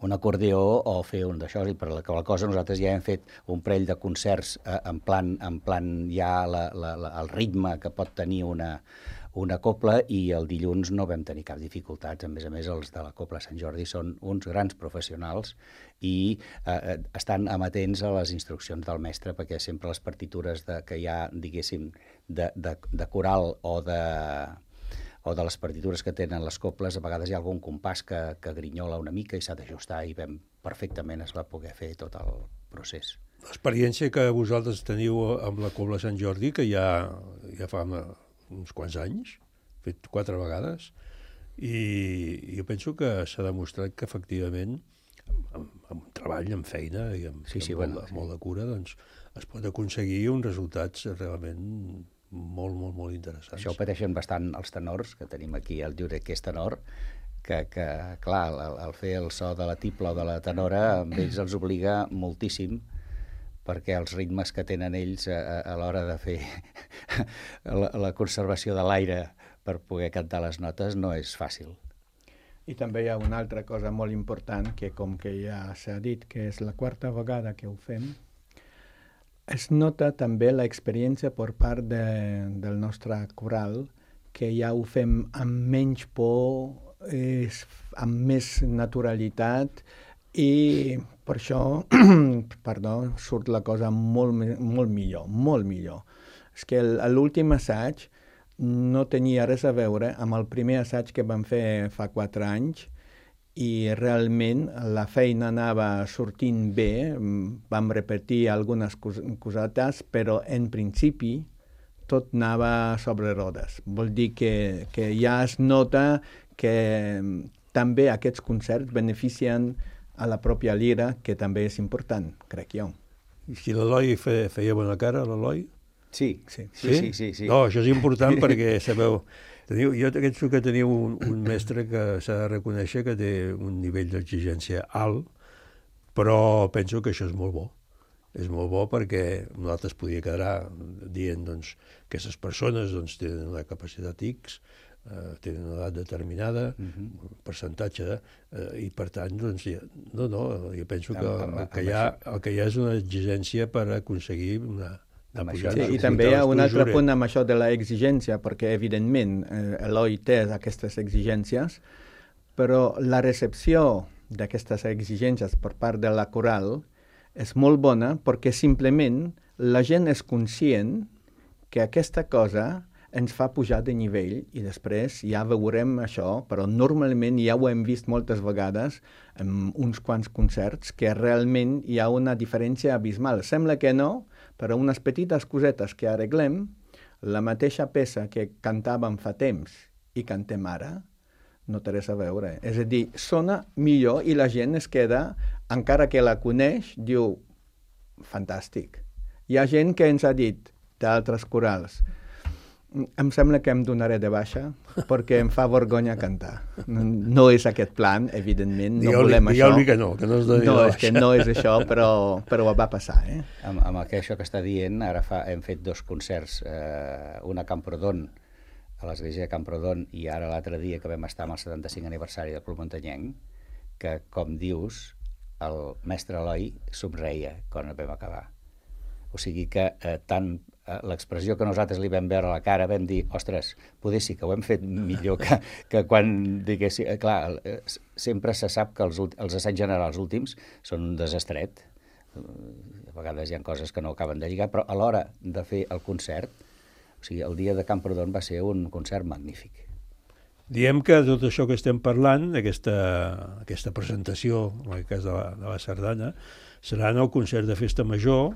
un acordeó o fer un d'això. I per la, la cosa nosaltres ja hem fet un parell de concerts eh, en, plan, en plan ja la, la, la, el ritme que pot tenir una, una copla, i el dilluns no vam tenir cap dificultats. A més a més, els de la Copla Sant Jordi són uns grans professionals i eh, estan amatents a les instruccions del mestre, perquè sempre les partitures de, que hi ha, diguéssim, de, de, de coral o de, o de les partitures que tenen les coples, a vegades hi ha algun compàs que, que grinyola una mica i s'ha d'ajustar, i vam, perfectament es va poder fer tot el procés. L'experiència que vosaltres teniu amb la Copla Sant Jordi, que ja, ja fa uns quants anys, fet quatre vegades, i jo penso que s'ha demostrat que efectivament amb, amb treball, amb feina i amb, sí, sí, amb bueno, molt, sí. molt de cura, doncs es pot aconseguir uns resultats realment molt, molt, molt interessants. Això ho pateixen bastant els tenors, que tenim aquí el Jurek, que és tenor, que, que clar, el, el fer el so de la tipla o de la tenora, amb ells els obliga moltíssim, perquè els ritmes que tenen ells a, a l'hora de fer la, la conservació de l'aire per poder cantar les notes no és fàcil. I també hi ha una altra cosa molt important, que com que ja s'ha dit, que és la quarta vegada que ho fem, es nota també l'experiència per part de, del nostre coral, que ja ho fem amb menys por, és, amb més naturalitat, i per això, perdó, surt la cosa molt, molt millor, molt millor. És que l'últim assaig no tenia res a veure amb el primer assaig que vam fer fa quatre anys i realment la feina anava sortint bé, vam repetir algunes cos cosetes, però en principi tot anava sobre rodes. Vol dir que, que ja es nota que també aquests concerts beneficien a la pròpia lira, que també és important, crec jo. I si l'Eloi fe, feia bona cara, l'Eloi? Sí, sí, sí, sí, sí, sí. No, això és important perquè, sabeu, teniu, jo penso que teniu un, un mestre que s'ha de reconèixer que té un nivell d'exigència alt, però penso que això és molt bo. És molt bo perquè nosaltres podria quedar dient doncs, que aquestes persones doncs, tenen una capacitat X, eh, tenen una edat determinada, uh-huh. un percentatge, eh, i per tant, doncs, ja, no, no, jo penso que el que, hi ha, el que hi ha és una exigència per aconseguir una... Sí, i també hi ha un altre punt amb això de la exigència, perquè evidentment eh, Eloi té aquestes exigències, però la recepció d'aquestes exigències per part de la coral és molt bona perquè simplement la gent és conscient que aquesta cosa ens fa pujar de nivell i després ja veurem això, però normalment ja ho hem vist moltes vegades en uns quants concerts que realment hi ha una diferència abismal. Sembla que no, però unes petites cosetes que arreglem, la mateixa peça que cantàvem fa temps i cantem ara, no té res a veure. És a dir, sona millor i la gent es queda, encara que la coneix, diu, fantàstic. Hi ha gent que ens ha dit, d'altres corals, em sembla que em donaré de baixa perquè em fa vergonya cantar. No, no és aquest plan, evidentment, no volem això. Digue-li que no, que no es doni no, de baixa. És que no és això, però, però va passar. Eh? Amb, amb això que està dient, ara fa, hem fet dos concerts, eh, un a Camprodon, a l'església de Camprodon, i ara l'altre dia que vam estar amb el setanta-cinc aniversari del Club Muntanyenc, que, com dius, el mestre Eloi somreia quan vam acabar. O sigui que eh, tant eh, l'expressió que nosaltres li vam veure a la cara vam dir, ostres, poder sí que ho hem fet millor que, que quan diguéssim... Eh, clar, eh, sempre se sap que els, els assaigs generals últims són un desastret. A vegades hi ha coses que no acaben de lligar, però a l'hora de fer el concert, o sigui, el dia de Camprodon va ser un concert magnífic. Diem que tot això que estem parlant, aquesta, aquesta presentació, en el cas de la, de la sardana, serà en el concert de Festa Major,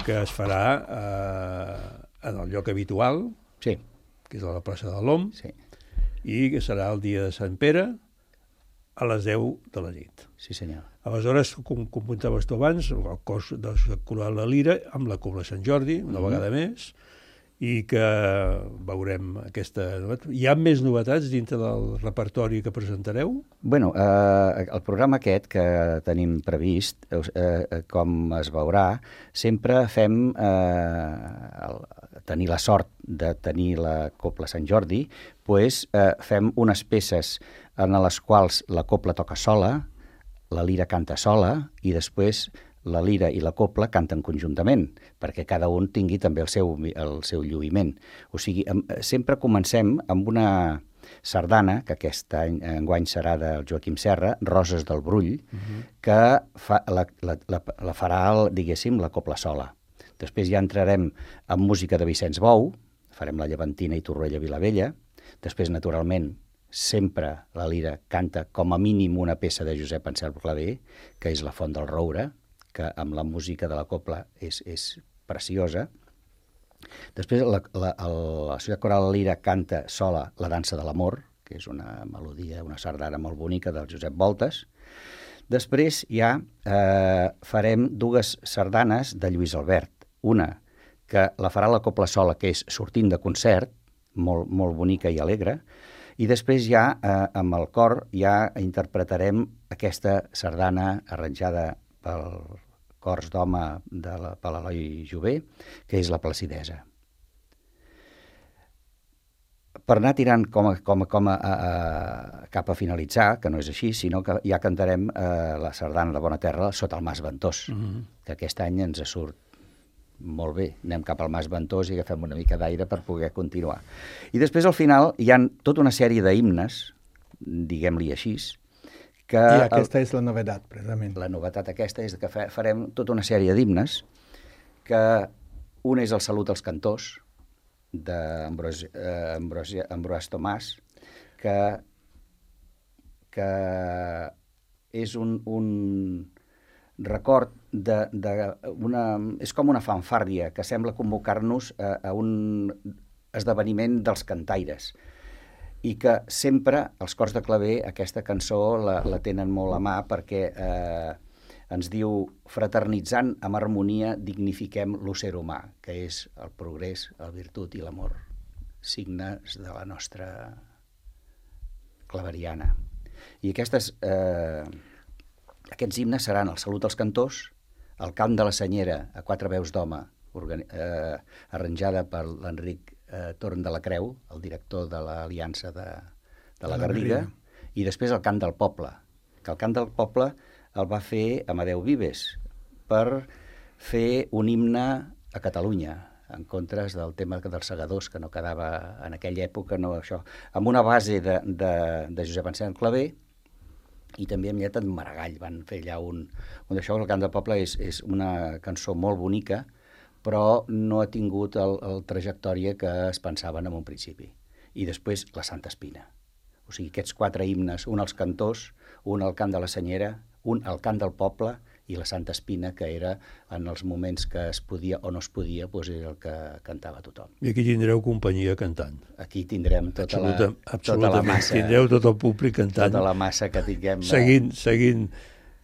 que es farà eh, en el lloc habitual, sí. que és a la plaça de l'Om, sí. i que serà el dia de Sant Pere a les deu de la nit. Sí, senyor. Aleshores, com comentaves tu abans, el cos del coral La Lira amb la Cobla Sant Jordi, una mm-hmm. vegada més, i que veurem aquesta novetat. Hi ha més novetats dintre del repertori que presentareu? Bueno, eh, el programa aquest que tenim previst, eh, com es veurà, sempre fem eh, el, tenir la sort de tenir la Cobla Sant Jordi, pues, eh, fem unes peces en les quals la cobla toca sola, la lira canta sola i després la lira i la cobla canten conjuntament, perquè cada un tingui també el seu, el seu lluïment. O sigui, sempre comencem amb una sardana, que aquest any enguany serà del Joaquim Serra, Roses del Brull, uh-huh. que fa, la, la, la, la farà, el, diguéssim, la cobla sola. Després ja entrarem en música de Vicenç Bou, farem la Llevantina i Torroella Vilavella. Després, naturalment, sempre la lira canta com a mínim una peça de Josep Anselm Clavé, que és La Font del Roure, que amb la música de la cobla és, és preciosa. Després la, la, la Societat Coral Lira canta sola La Dansa de l'Amor, que és una melodia, una sardana molt bonica del Josep Voltes. Després ja eh, farem dues sardanes de Lluís Albert. Una que la farà la cobla sola, que és Sortint de concert, molt, molt bonica i alegre, i després ja eh, amb el cor ja interpretarem aquesta sardana arranjada pel Cors d'Home de la, per l'Eloi Jové, que és La Placidesa. Per anar tirant com a, com a, com a, a, cap a finalitzar, que no és així, sinó que ja cantarem eh, la sardana de Bona Terra sota el Mas Ventós, mm-hmm. que aquest any ens surt molt bé. Anem cap al Mas Ventós i agafem una mica d'aire per poder continuar. I després al final hi ha tota una sèrie d'himnes, diguem-li així, que I aquesta el, és la novetat, precisament. La novetat aquesta és que farem tota una sèrie d'himnes, que un és el Salut als Cantors, d'Ambroise eh, Ambroise Tomàs, que, que és un, un record de, de una... és com una fanfàrria que sembla convocar-nos a, a un esdeveniment dels cantaires, i que sempre els cors de claver aquesta cançó la, la tenen molt a mà, perquè eh, ens diu: fraternitzant amb harmonia dignifiquem l'ésser humà, que és el progrés, la virtut i l'amor, signes de la nostra claveriana. I aquestes, eh, aquests himnes seran el Salut als cantors, el Cant de la Senyera a quatre veus d'home, eh, arranjada per l'Enric eh, Torn de la Creu, el director de l'Aliança de, de la Garriga, i després el Cant del Poble, que el Cant del Poble el va fer Amadeu Vives per fer un himne a Catalunya, en contra del tema dels segadors, que no quedava en aquella època, no això, amb una base de, de, de Josep Anselm Clavé, i també amb lletra de Maragall. Van fer allà un... un d'això, el Cant del Poble és, és una cançó molt bonica, però no ha tingut el, el trajectòria que es pensaven en un principi. I després la Santa Espina. O sigui, aquests quatre himnes, un als cantors, un al Cant de la Senyera, un al Cant del Poble i la Santa Espina, que era en els moments que es podia o no es podia, doncs era el que cantava tothom. I aquí tindreu companyia cantant. Aquí tindrem tota, Absoluta, la, tota la massa. Tindreu tot el públic cantant. Tota la massa que tinguem. Seguint, seguint.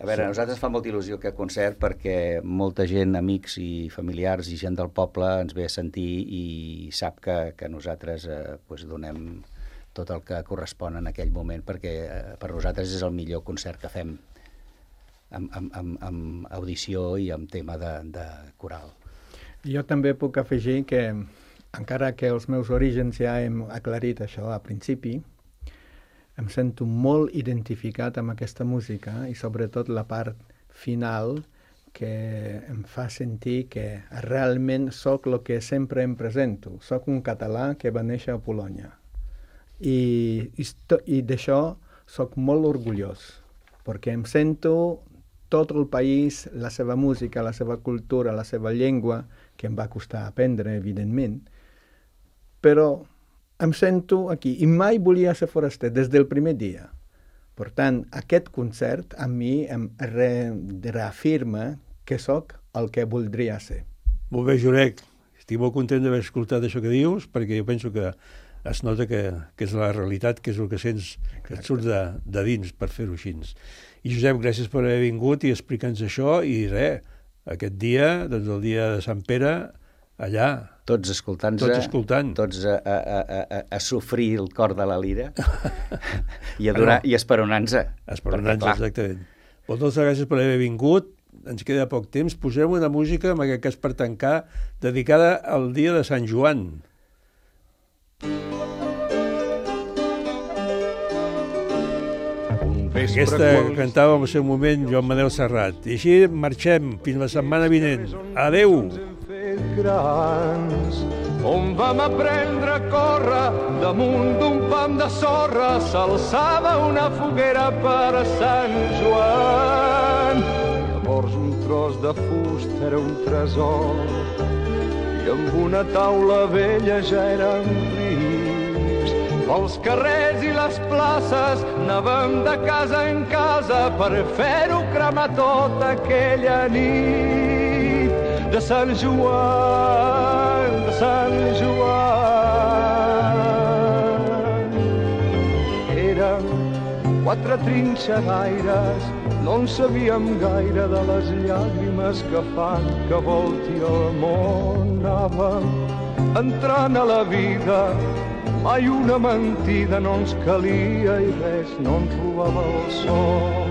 A veure, a nosaltres fa molta il·lusió aquest concert, perquè molta gent, amics i familiars i gent del poble ens ve a sentir i sap que, que nosaltres eh, doncs donem tot el que correspon en aquell moment, perquè eh, per nosaltres és el millor concert que fem amb, amb, amb, amb audició i amb tema de, de coral. Jo també puc afegir que, encara que els meus orígens ja hem aclarit això a principi, em sento molt identificat amb aquesta música i sobretot la part final que em fa sentir que realment sóc el que sempre em presento. Soc un català que va néixer a Polònia i, i, i d'això soc molt orgullós, perquè em sento tot el país, la seva música, la seva cultura, la seva llengua, que em va costar aprendre, evidentment, però em sento aquí i mai volia ser foraster des del primer dia. Per tant, aquest concert a mi em re reafirma que sóc el que voldria ser. Molt bé, Jurek. Estic molt content d'haver escoltat això que dius, perquè jo penso que es nota que, que és la realitat, que és el que sents, que et surt de, de dins per fer-ho així. I Josep, gràcies per haver vingut i explicar-nos això, i res, aquest dia, doncs el dia de Sant Pere, allà. Tots escoltant-se, tots, escoltant. tots a, a, a, a, a sofrir el cor de la lira i, a donar, i esperonant-se. Esperonant-se, exactament. Moltes gràcies per haver vingut. Ens queda poc temps. Posem una música, en aquest cas per tancar, dedicada al dia de Sant Joan. Aquesta cantava en el seu moment Joan Manel Serrat. I així marxem fins la setmana vinent. Adeu! Grans, on vam aprendre a córrer damunt d'un pam de sorra, s'alçava una foguera per a Sant Joan. Llavors un tros de fusta era un tresor i amb una taula vella ja érem rics. Pels carrers i les places anàvem de casa en casa per fer-ho cremar tota aquella nit. De Sant Joan, de Sant Joan. Érem quatre trinxeraires, no en sabíem gaire de les llàgrimes que fan que volti el món. Anàvem entrant a la vida, mai una mentida no ens calia i res no ens robava el sol.